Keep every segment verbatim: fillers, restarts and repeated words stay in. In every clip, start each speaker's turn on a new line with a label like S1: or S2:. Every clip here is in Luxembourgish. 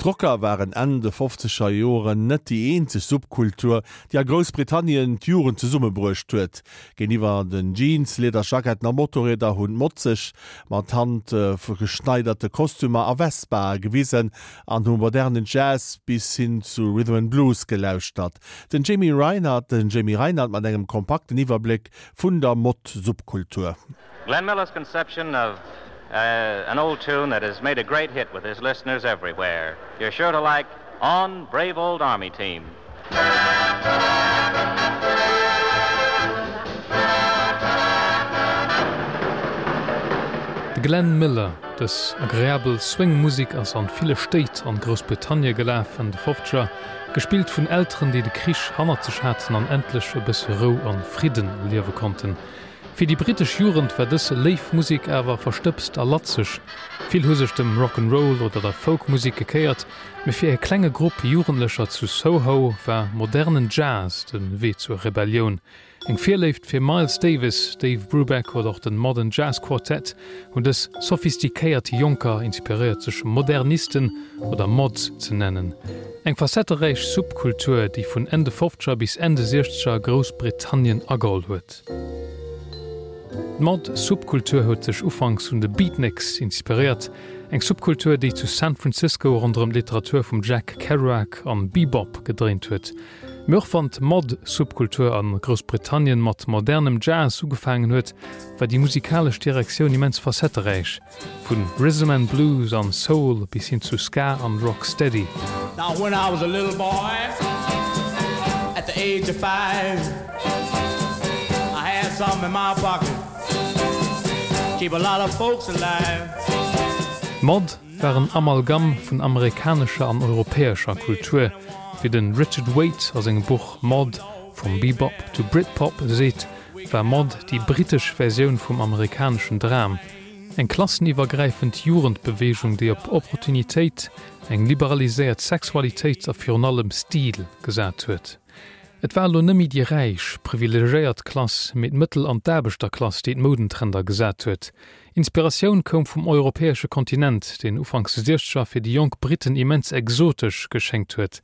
S1: D'Rocker waren Enn de fofzeger Joren net déi eenzeg Subkultur, déi a Groussbritannien d'Jugend zesummebruecht huet. Géintiwwer den Jeans, Liederjacketten a Motorrieder hunn d'Mods sech mat handgeschneiderte Kostümer a Vespae gewisen an hu modernen Jazz bis hin zu Rhythm and Blues gelauschtert. Den Jamie Reinert den Jamie Reinert mat engem kompakten Iwwerbléck vun der Mod-Subkultur.
S2: Glenn Miller's conception of uh, an old tune that has made a great hit with his listeners everywhere. You're sure to like On Brave Old Army Team.
S3: De Glenn Miller, Dës agreabel Swing-Musek ass an ville Stéit an Groussbritannie gelaf Enn de Fofzeger, gespillt vun Elteren, déi de Krich hannert sech haten an endlech e bësse Rou an Fridden erliewe konnten. Fir déi brittesch Jugend war dës léif Musek awer verstëbst a latzeg. Vill hu sech dem Rock 'n' Roll oder der Folk-Musek gekéiert, mee fir e klenge Grupp Jugendlecher zu Soho war modernen Jazz de Wee zur Rebellioun. Eng Virléift fir Miles Davis, Dave Brubeck oder och den Modern Jazz Quartet hunn dës sophistiquéiert Jonker inspiréiert sech Modernisten oder Mods ze nennen. Eng facetteräich Subkultur, déi vun Enn de Fofzeger bis Enn de Siechzeger Groussbritannien ageholl huet. D'Mod-Subkultur huet sech ufanks un de Beatniks inspiréiert, eng Subkultur, déi zu San Francisco ronderëm d'Literatur vum Jack Kerouac an Bebop gedréint huet. Mee och wann d'Mod-Subkultur a Groussbritannien mat modernem Jazz ugefaangen huet, war déi musikalesch Direktioun immens facetteräich, vu Rhythm and Blues an Soul bis hin zu Ska an Rocksteady.
S4: Now when I was a little boy at the age of five I had something in my pocket keep a lot of folks alive.
S3: D'Mod war en Amalgam vun amerikanescher an europäescher Kultur. Wéi de Richard Waite a sengem Buch Mod, From Bebop to Britpop seet, war Mod déi brittesch Versioun vum amerikaneschen Dram, eng klasseniwwergräifend Jugendbeweegung, déi op Opportunitéit, eng liberaliséiert Sexualitéit a virun allem Stil gesat huet. Et war elo net méi déi räich, privilegéiert Klass, mee d'Mëttel an d'Aarbechterklass, déi d'Moudentrender gesat huet. Inspiratioun koum vum europäesche Kontinent, deen ufanks de Siechzeger fir déi jonk Britten immens exotesch geschéngt huet.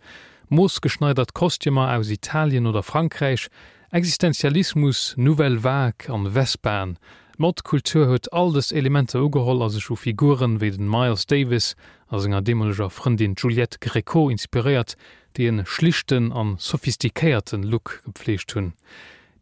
S3: Moossgeschneidert Kostümer aus Italien oder Frankräich, Existenzialismus, Nouvelle Vague an Vespaen. D'Mod-Kultur huet all dës Elementer ugeholl a sech u Figuren wéi den Miles Davis a senger deemoleger Frëndin Juliette Gréco inspiréiert, déi en schlichten an sophistiquéierten Look gepfleegt hunn.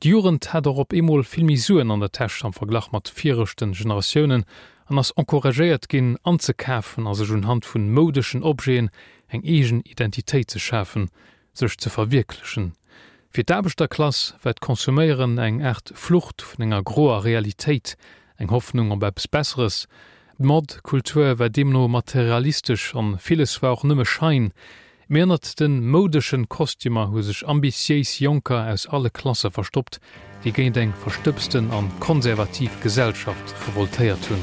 S3: D'Jugend hat och op eemol vill méi Suen an der Täsch am Verglach mat viregten Generatiounen an ass encouragéiert ginn anzekafen a sech unhand vun moudeschen Objeten eng eegen Identitéit ze schafen, sech ze verwierklechen. Fir d'Aarbechterklass war d'Konsuméieren eng Aart Flucht vun enger groer Realitéit, eng Hoffnung op eppes Besseres. D'Mod-Kultur war deemno materialistesch an villes war och nëmme Schein. Mee ënnert de moudeschen Kostümer hu sech ambitiéis Jonker aus alle Klasse verstoppt, déi géint eng verstëbsten an konservativ Gesellschaft revoltéiert hunn.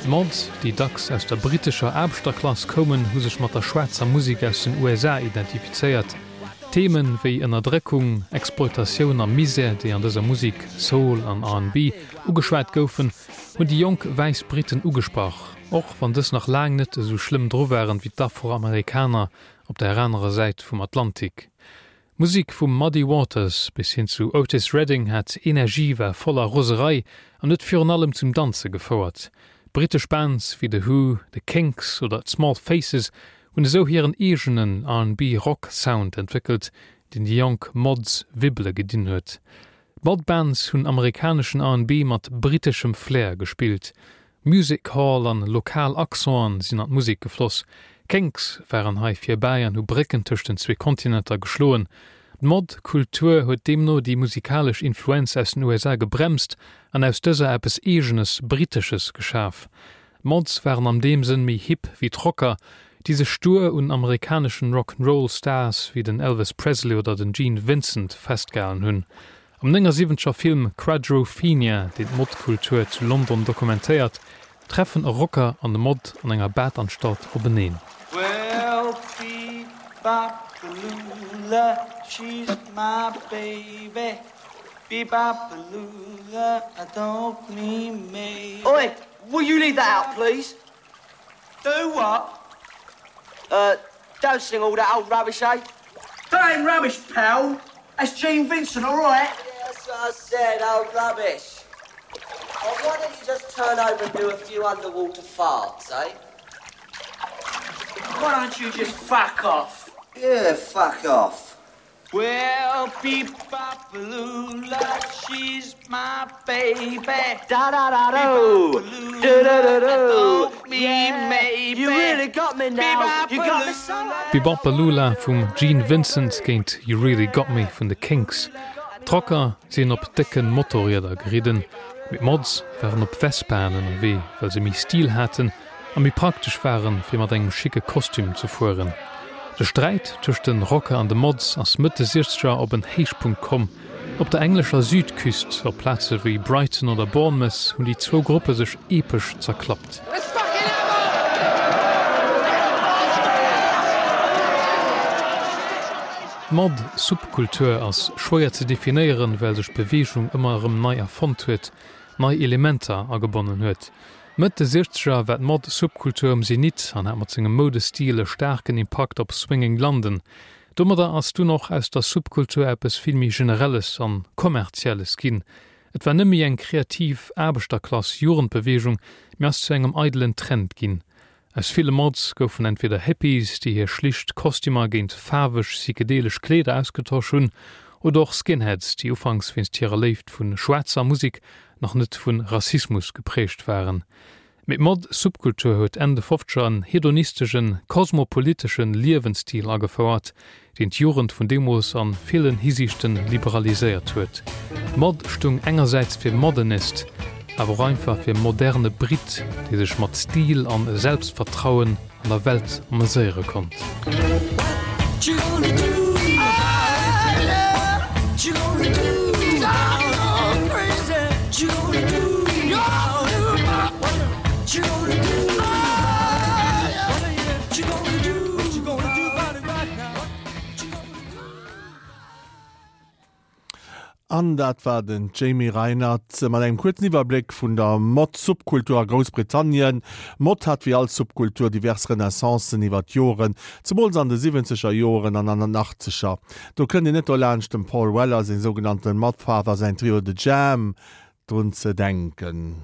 S3: D'Mods, déi dacks aus der brittescher Aarbechterklass koumen, hu sech mat der schwaarzer Musek aus den U S A identifizéiert. Themen wéi Ënnerdréckung, Exploitatioun a Misär, déi an dëser Musek, Soul an R and B, ugeschwat goufen, hunn déi jonk wäiss Britten ugesprach, och wann dës nach laang net esou schlëmm dru waren wéi d'Afroamerikaner op der anerer Säit vum Atlantik. D'Musek vum Muddy Waters bis hin zu Otis Redding hat Energie, war voller Roserei an huet virun allem zum Danze gefouert. Brittesch Bands wéi The Who, The Kinks oder d'Small Faces hunn esou hiren eegenen R and B Rock Sound entwéckelt, deen déi jonk Mods wibbele gedinn huet. D'Mod-Bands hunn amerikaneschen R and B mat britteschem Flair gespillt. Music Hall an lokal Accenten sinn an d'Musek gefloss. D'Kinks waren hei virbäi an hu Brécken tëscht den zwee Kontinenter geschloen. D'Mod-Kultur huet deemno déi musikalesch Influenz aus den U S A gebremst an aus dëser eppes Eegenes, Brittesches geschaf. D'Mods waren an deem Sënn méi hip wéi d'Rocker, déi sech stuer un amerikaneschen Rock'n'Roll-Stars wéi den Elvis Presley oder den Gene Vincent festgehalen hunn. Am néngasiwwenzeger Film Quadrophenia, deen d'Mod-Kultur zu London dokumentéiert, treffen e Rocker an e Mod an enger Badanstalt openeen.
S4: Well, Be-bop-a-lula, she's my baby. Be-bop-a-lula, I don't mean maybe.
S5: Oi, will you leave that out, please?
S4: Do what?
S5: Uh, don't sing all that old rubbish, eh?
S4: That ain't rubbish, pal. That's Gene Vincent, all right?
S5: Yeah, that's what I said, old rubbish. Oh, why don't you just turn over and do a few underwater farts, eh?
S4: Why don't you just fuck off?
S5: Yeah, fuck off.
S4: Well, Be-bop-a-lula, she's my baby.
S5: Da da da do.
S4: Do
S5: da da do.
S4: Yeah, maybe.
S5: You really got me now. You got me so.
S3: Be-Bop-A-Lula vum Gene Vincent géint You Really Got Me vun de Kinks. D'Rocker sinn op décke Motorrieder geridden, mee d'Mods waren op Vespaen ënnerwee, well se méi Stil haten a méi praktesch waren, fir mat engem schicke Kostüm ze fueren. De Sträit tëscht de Rocker an de Mods ass Mëtt de Siechzeger op en Héichpunkt komm. Op der englescher Südküst, op Plaze wéi Brighton oder Bournemouth, hunn déi zwou Gruppe sech epesch zerklappt. D'Mod-Subkultur ass schwéier ze definéieren, well sech d'Beweegung ëmmer erëm nei erfonnt huet, nei Elementer agebonnen huet. Mëtt de Siechzeger war d'Mod-Subkultur um Zenit an hat mat sengem Moudestil e staarken Impakt op Swinging London. Domadder ass dunn och aus der Subkultur eppes vill méi Generelles an Kommerzielles ginn. Et war net méi eng kreativ Aarbechterklass-Jugendbeweegung, mee ass zu engem eidelen Trend ginn. Aus ville Mods goufen entweder Hippies, déi hir schlicht Kostümer géint faarweg psychedelesch Kleeder ausgetosch hunn, oder och Skinheads, déi ufanks wéinst hirer Léift vu schwaarzer Musek nach net vu Rassismus geprägt waren. Mee d'Mod-Subkultur huet Enn de Fofzeger en hedonisteschen, kosmopoliteschen Liewensstil agefouert, deen d'Jugend vun deemools a villen Hisiichten liberaliséiert huet. Mod stung engersäits fir Modernist, awer och einfach fir moderne Brit, dee sech mat Stil an Selbstvertrauen an der Welt ameséiere konnt.
S1: An dat war den Jamie Reinert mat engem kuerzen Iwwerbléck vun der Mod-Subkultur a Groussbritannien. Mod hat wéi all Subkultur divers Renaissancen iwwer d'Joren, zemools an de siwwenzeger Joren an an den achtzeger. Do kënnt een net dolaanscht dem Paul Weller seng sougenannten Modfather, säin Trio The Jam drun ze denken.